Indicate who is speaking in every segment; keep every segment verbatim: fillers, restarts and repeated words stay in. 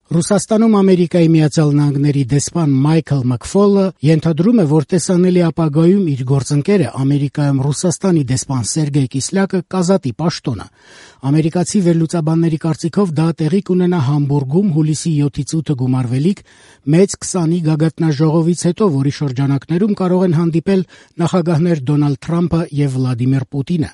Speaker 1: Ռուսաստանում Ամերիկայի Միացյալ Նահանգների դեսպան Մայքլ Մաքֆոլը ենթադրում է, որ տեսանելի ապագայում իր գործընկերը Ամերիկայում Ռուսաստանի դեսպան Սերգեյ Կիսլյակը կազատի պաշտոնը։ Ամերիկացի վերլուծաբանների կարծիքով դա տեղի կունենա Համբուրգում հուլիսի յոթից ութը գումարվելիք մեծ քսանի գագաթնաժողովից հետո, որի շրջանակներում կարող են հանդիպել նախագահներ Դոնալդ Թրամփը եւ Վլադիմիր Պուտինը։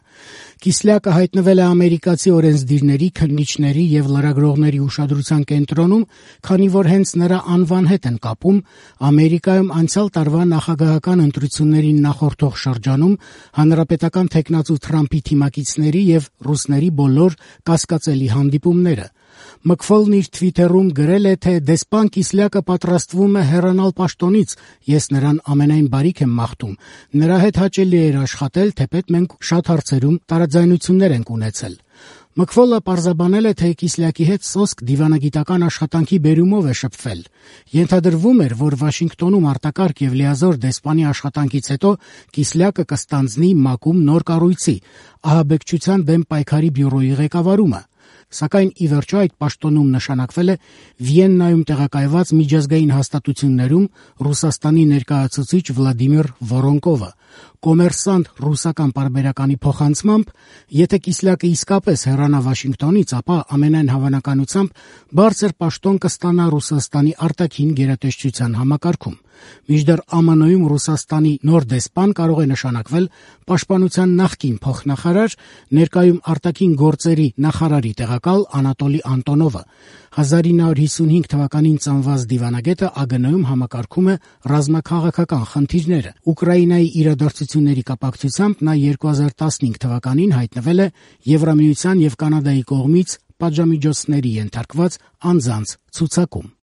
Speaker 1: Կիսլյակը հայտնվել է ամերիկացի օրենսդիրների, քննիչների եւ լրագրողների ուշադրության կենտրոնում, քանի որ հենց նրա անվան հետ են կապում Ամերիկայում անցյալ տարվա նախագահական ընտրություններին նախորդող շրջանում հանրապետական թեկնածու Թրամփի թիմակիցների եւ ռուսների բոլոր կասկածելի հանդիպումները։ Մաքֆոլն իր թվիթերում գրել է, թե դեսպան Կիսլյակը պատրաստվում է հեռանալ պաշտոնից, ես նրան ամենայն բարիք եմ մաղթում, նրա հետ հաճելի էր աշխատել, թեպետ մենք շատ հարցերում տարաձայնություններ ենք ունեցել։ Մաքֆոլը պարզաբանել է, թե Կիսլյակի հետ սոսկ դիվանագիտական աշխատանքի բերումով է շփվել։ Ենթադրվում էր, որ Վաշինգտոնում արտակարգ եւ լիազոր դեսպանի աշխատանքից հետո Կիսլյակը կստանձնի ՄԱԿ-ում նոր կառույցի՝ ահաբեկչության դեմ պայքարի բյուրոյի ղեկավարումը։ Սակայն ի վերջո այդ պաշտոնում նշանակվել է Վիեննայում տեղակայված միջազգային հաստատություններում Ռուսաստանի ներկայացուցիչ Վլադիմիր Վորոնկովը։ Կոմերսանտ ռուսական պարբերականի փոխանցմամբ, եթե Կիսլյակը իսկապես հեռանա Վաշինգտոնից, ապա ամենայն հավանականությամբ բարձր պաշտոն կստանա Ռուսաստանի արտաքին գերատեսչության համակարգում։ Մինչդեռ Է Մ Ն-ում Ռուսաստանի նոր դեսպան կարող է նշանակվել պաշտպանության նախկին փոխնախարար, ներկայում արտաքին գործերի նախարարի տեղակալ Անատոլի Անտոնովը։ հազար ինը հարյուր հիսունհինգ թվականին ծնված դիվանագետը Ա Գ Ն-ում համակարգում է ռազմաքաղաքական խնդիրները։ Ուկրաինայի իրադարձությունների կապակցությամբ նա երկու հազար տասնհինգ թվականին հայտնվել է Եվրամիության եւ Կանադայի կողմից պատժամիջոցների ենթարկված անձանց ցուցակում։